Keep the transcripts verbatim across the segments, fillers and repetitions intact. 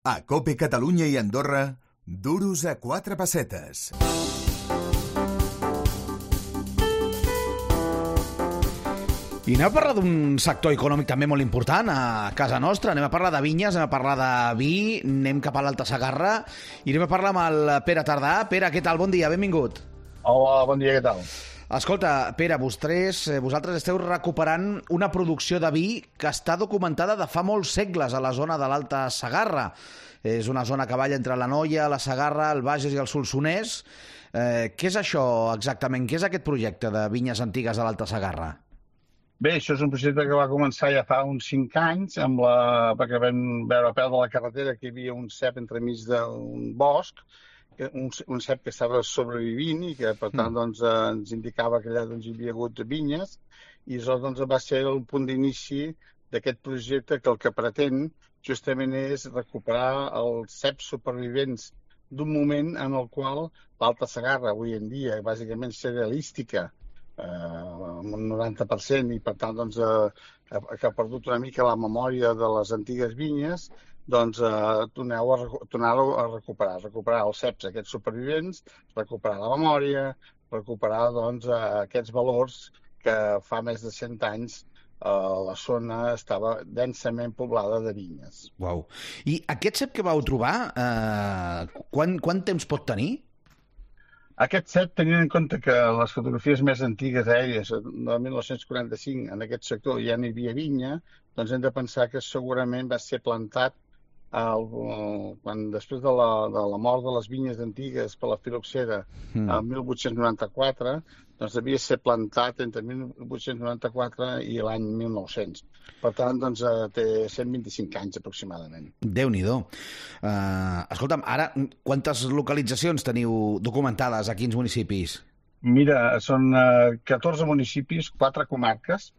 A COPE Catalunya i Andorra, duros a quatre pessetes. I anem a parlar d'un sector econòmic també molt important a casa nostra. Anem a parlar de vinyes, anem a parlar de vi, anem cap a l'Alta Segarra i anem a parlar amb el Pere Tardà. Pere, què tal? Bon dia, benvingut. Hola, bon dia, què tal? Escolta, Pere, vosaltres, vosaltres esteu recuperant una producció de vi que està documentada de fa molts segles a la zona de l'Alta Segarra. És una zona que balla entre la Noia, la Segarra, el Bages i el Solsonès. Eh, què és això exactament? Què és aquest projecte de vinyes antigues de l'Alta Segarra? Bé, això és un projecte que va començar ja fa uns cinc anys, amb la... perquè vam veure a peu de la carretera que hi havia un cep entremig d'un bosc, un, un cep que estava sobrevivint i que, per tant, doncs, ens indicava que allà doncs, hi havia hagut vinyes, i això doncs, va ser el punt d'inici d'aquest projecte que el que pretén justament és recuperar els ceps supervivents d'un moment en el qual l'Alta Segarra, avui en dia, bàsicament cerealística, Uh, amb un noranta per cent i per tant doncs, uh, que ha perdut una mica la memòria de les antigues vinyes, doncs uh, tornar-ho a, tornar a recuperar, recuperar els ceps aquests supervivents, recuperar la memòria, recuperar doncs, uh, aquests valors que fa més de cent anys uh, la zona estava densament poblada de vinyes. Uau. I aquest cep que vau trobar, uh, quan, quant temps pot tenir? Aquest cep, tenint en compte que les fotografies més antigues aèries, de mil nou-cents quaranta-cinc, en aquest sector ja no hi havia vinya, doncs hem de pensar que segurament va ser plantat el, quan, després de la, de la mort de les vinyes antigues per la filoxera, mm. el mil vuit-cents noranta-quatre, doncs devia ser plantat entre mil vuit-cents noranta-quatre i l'any mil nou-cents. Per tant, doncs, té cent vint-i-cinc anys aproximadament. Déu-n'hi-do. Uh, escolta'm, ara, quantes localitzacions teniu documentades a quins municipis? Mira, són uh, catorze municipis, quatre comarques,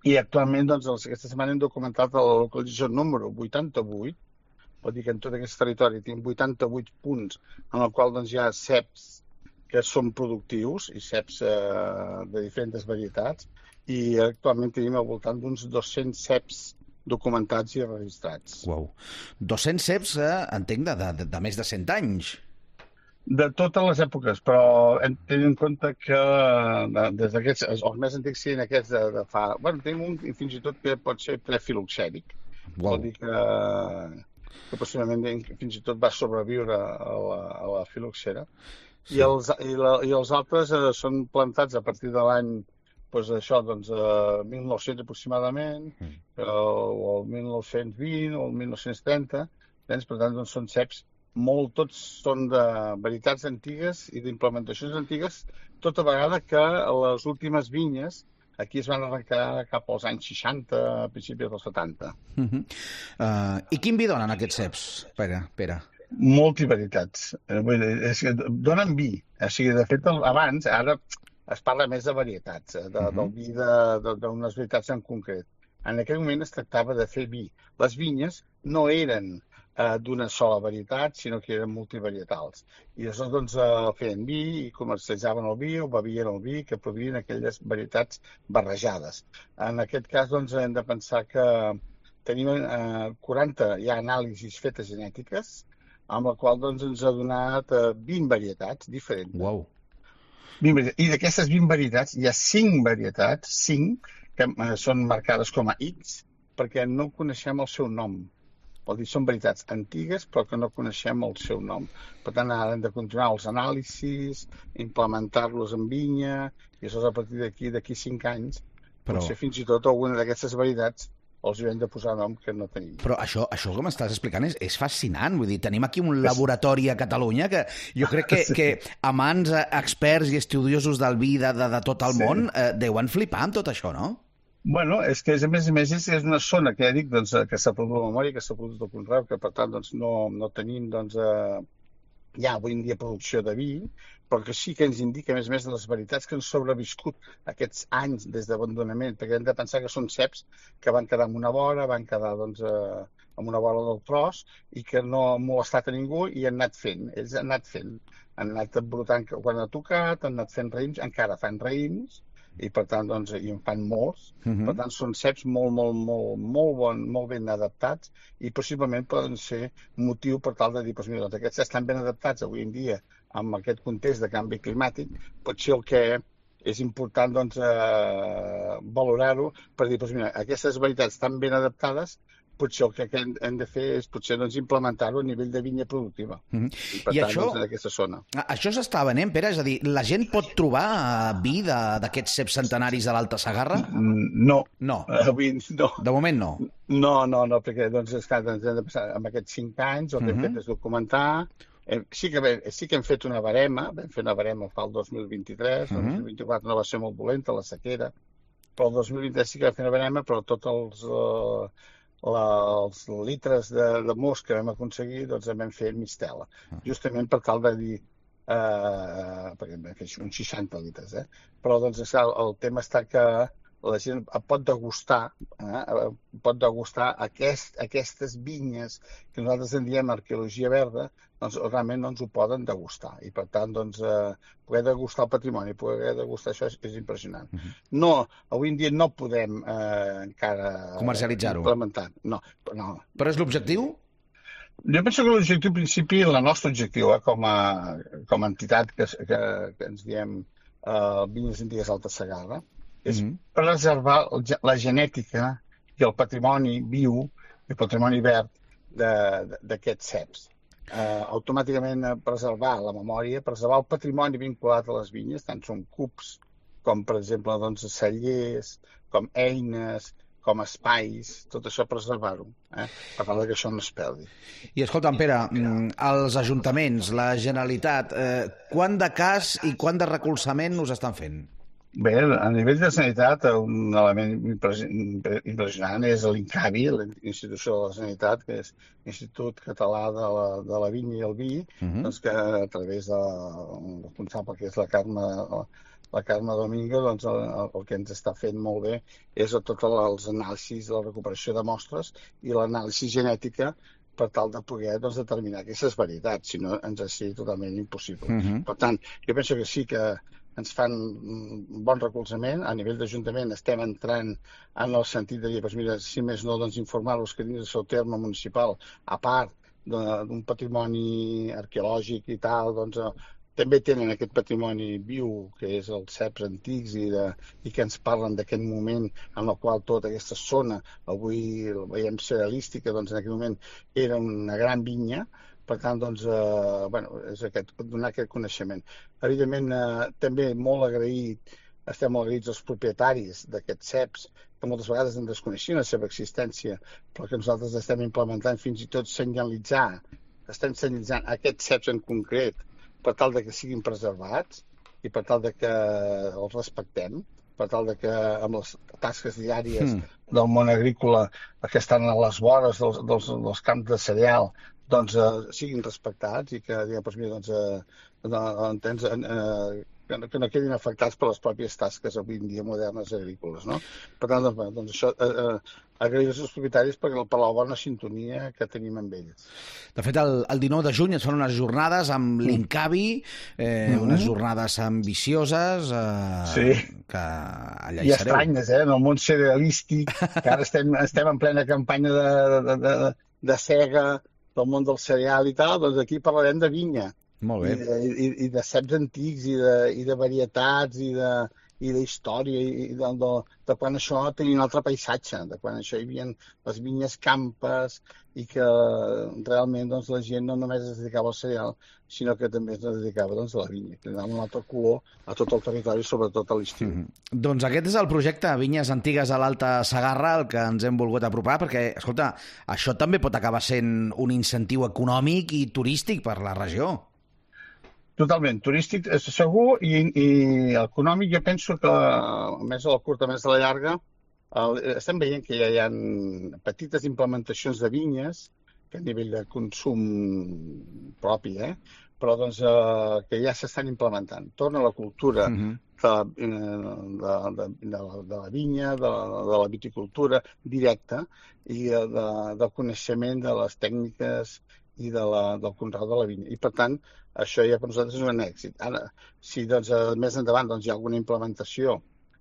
i actualment, doncs, aquesta setmana hem documentat la localització número vuitanta-vuit, vol dir que en tot aquest territori tenim vuitanta-vuit punts en el qual doncs, hi ha ceps que són productius i ceps eh, de diferents varietats, i actualment tenim al voltant d'uns dos-cents ceps documentats i registrats. Uau. dos-cents ceps, eh, entenc, de, de, de més de cent anys. De totes les èpoques, però tenint en compte que de, des d'aquests, els més antics siguin aquests de, de fa... Bueno, tenim un fins i tot que pot ser prefiloxèric. Vol dir que, que possiblement fins i tot va sobreviure a la, a la filoxera. Sí. I, els, i, la, I els altres eh, són plantats a partir de l'any doncs, això, doncs, eh, mil nou-cents aproximadament, mm. eh, o el mil nou-cents vint o el mil nou-cents trenta. Doncs, per tant, doncs, són ceps molt, tots són de varietats antigues i d'implementacions antigues, tota vegada que les últimes vinyes aquí es van arrencar cap als anys seixanta, a principis dels setanta. Mm -hmm. uh, I quin vi donen aquests ceps, Pere? Pere? Multivarietats. Vull dir, és que donen vi. O sigui, de fet, abans, ara es parla més de varietats, de, uh-huh. del vi d'unes varietats en concret. En aquell moment es tractava de fer vi. Les vinyes no eren eh, d'una sola varietat, sinó que eren multivarietals. I llavors doncs, eh, feien vi i comercialitzaven el vi o bevien el vi que produïen aquelles varietats barrejades. En aquest cas, doncs, hem de pensar que tenim eh, quaranta ja anàlisis fetes genètiques, amb la qual doncs, ens ha donat eh, vint varietats diferents. Wow. vint varietats. I d'aquestes vint varietats hi ha cinc varietats, cinc, que eh, són marcades com a X, perquè no coneixem el seu nom. Vol dir, són varietats antigues, però que no coneixem el seu nom. Per tant, ara hem de continuar els anàlisis, implementar-los en vinya, i això a partir d'aquí, d'aquí cinc anys, però... potser fins i tot alguna d'aquestes varietats els hi hem de posar nom que no tenim. Però això, això que m'estàs explicant és, és fascinant. Vull dir, tenim aquí un laboratori a Catalunya que jo crec que, sí. que amants, experts i estudiosos del vi de, de, de tot el sí. món eh, deuen flipar amb tot això, no? Bueno, és que a més a més és una zona que ja dic doncs, que s'ha perdut la memòria, que s'ha perdut el conreu, que per tant doncs, no, no tenim doncs, eh, ja avui en dia producció de vi, però que sí que ens indica, a més a més, de les varietats que han sobreviscut aquests anys des d'abandonament, perquè hem de pensar que són ceps que van quedar en una vora, van quedar doncs, eh, en una vora del tros i que no han molestat a ningú i han anat fent. Ells han anat fent, han anat brotant quan ha tocat, han anat fent raïms, encara fan raïms i per tant, doncs, i en fan molts. Mhm. Per tant, són ceps molt, molt, molt, molt, bon, molt ben adaptats i possiblement poden ser motiu per tal de dir, doncs, mira, doncs, aquests estan ben adaptats avui en dia amb aquest context de canvi climàtic, potser el que és important, doncs, eh, valorar-ho per dir, doncs, mira, aquestes varietats tan ben adaptades, potser el que hem, hem de fer és potser doncs, implementar-ho a nivell de vinya productiva. Mhm. I per I tant, això- doncs, en aquesta zona. A- Això s'està venent, Pere? És a dir, la gent pot trobar eh, vi de- d'aquests ceps centenaris de l'Alta Segarra? Mm, No. No. Avui no. De moment no. No, no, no, perquè doncs, esclar, doncs, hem de passar amb aquests cinc anys, el que hem Mhm. fet és documentar. Hem, sí, que, vam- sí que hem fet una barema, vam fer una barema fa el dos mil vint-i-tres, el Mhm. dos mil vint-i-quatre no va ser molt dolenta, la sequera, però el dos mil vint-i-tres sí que vam fer una barema, però tots els, eh, la, els litres de, de mos que vam aconseguir, doncs en vam fer mistela, justament per tal de dir, eh, perquè vam fer uns seixanta litres, eh? Però doncs, esclar, el tema està que la gent pot degustar, eh? pot degustar aquest, aquestes vinyes que nosaltres en diem arqueologia verda, doncs realment no ens ho poden degustar. I per tant, doncs, eh, poder degustar el patrimoni, poder degustar això és, és impressionant. Mhm. No, avui en dia no podem eh, encara Comercialitzar-ho. implementar. No, no. Però és l'objectiu? Jo penso que l'objectiu principi, el nostre objectiu eh, com, a, com a entitat que, que, que ens diem eh, Vinyes Antigues Alta Segarra, és Mhm. preservar el ge- la genètica i el patrimoni viu, el patrimoni verd de- de- d'aquests ceps. Eh, automàticament eh, preservar la memòria, preservar el patrimoni vinculat a les vinyes, tant són cups com, per exemple, doncs, cellers, com eines, com espais, tot això preservar-ho, eh? Per tal que això no es perdi. I escolta'm, Pere, mm, els ajuntaments, la Generalitat, eh, quant de cas i quant de recolzament us estan fent? Bé, a nivell de sanitat, un element impres- impressionant és l'INCAVI, l'Institució de la Sanitat, que és l'Institut Català de la, de la Vinya i el Vi, Mhm. doncs que a través de un responsable que és la Carme, la Carme Domingo, doncs el, el que ens està fent molt bé és tots els anàlisis de la recuperació de mostres i l'anàlisi genètica per tal de poder doncs, determinar aquestes varietats, si no ens és totalment impossible. Mhm. Per tant, jo penso que sí que ens fan un bon recolzament. A nivell d'Ajuntament estem entrant en el sentit de dir, doncs mira, si més no, doncs informar-los que dins del seu terme municipal, a part de- d'un patrimoni arqueològic i tal, doncs eh, també tenen aquest patrimoni viu, que és els ceps antics i, de, i que ens parlen d'aquest moment en el qual tota aquesta zona, avui la veiem cerealística, doncs en aquell moment era una gran vinya. Per tant, doncs, eh, bueno, és aquest, donar aquest coneixement. Evidentment, eh, també molt agraït, estem molt agraïts als propietaris d'aquests ceps, que moltes vegades en desconeixien la seva existència, però que nosaltres estem implementant fins i tot senyalitzar, estem senyalitzant aquests ceps en concret per tal de que siguin preservats i per tal de que els respectem, per tal de que amb les tasques diàries Mm. del món agrícola que estan a les vores dels, dels, dels camps de cereal doncs eh, siguin respectats i que, diguem, doncs, mira, doncs, eh, no, entens, eh, que, no, que no quedin afectats per les pròpies tasques avui en dia modernes agrícoles, no? Per tant, doncs, bé, doncs això, eh, eh, agrair als propietaris per, per la bona sintonia que tenim amb ells. De fet, el, el dinou de juny es fan unes jornades amb l'Incavi, eh, Mhm. unes jornades ambicioses, eh, Sí. que allà I hi sereu. estranyes, eh? En el món cerealístic, que ara estem, estem en plena campanya de, de, de, de cega del món del cereal i tal, doncs aquí parlarem de vinya. Molt I bé. de, i, i de ceps antics i de, i de varietats i de, i d'història i de, de, de quan això tenia un altre paisatge, de quan això hi havia les vinyes campes i que realment doncs, la gent no només es dedicava al cereal, sinó que també es dedicava doncs, a la vinya, que donava un altre color a tot el territori, sobretot a l'estiu. Mhm. Doncs aquest és el projecte Vinyes Antigues a l'Alta Segarra al que ens hem volgut apropar, perquè, escolta, això també pot acabar sent un incentiu econòmic i turístic per la regió. Totalment, turístic és segur i, i econòmic. Jo penso que, a més a la curta, a més a la llarga, el, estem veient que ja hi ha petites implementacions de vinyes que a nivell de consum propi, eh? però doncs, eh, que ja s'estan implementant. Torna a la cultura Mhm. de, de, de, de, la, de la vinya, de la, de la viticultura directa i de, de, del coneixement de les tècniques i de la, del conreu de la vinya. I, per tant, això ja per nosaltres és un èxit. Ara, si doncs, més endavant doncs, hi ha alguna implementació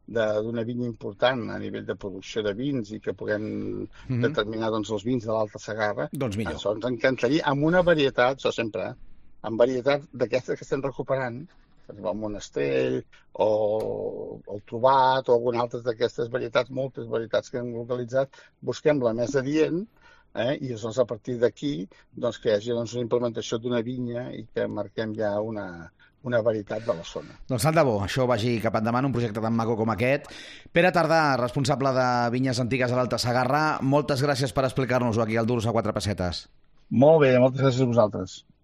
d'una vinya important a nivell de producció de vins i que puguem Mhm. determinar doncs, els vins de l'Alta Segarra, Doncs millor. això ens encantaria, amb una varietat, això sempre, eh? amb varietat d'aquestes que estem recuperant, per exemple, el Monestell o el Trobat o alguna altra d'aquestes varietats, moltes varietats que hem localitzat, busquem la més adient, eh? i doncs, a partir d'aquí doncs, que hi hagi doncs, una implementació d'una vinya i que marquem ja una, una varietat de la zona. Doncs tant de bo, això vagi cap endavant, un projecte tan maco com aquest. Pere Tardà, responsable de Vinyes Antigues a l'Alta Segarra, moltes gràcies per explicar-nos-ho aquí al Duros a quatre pessetes. Molt bé, moltes gràcies a vosaltres.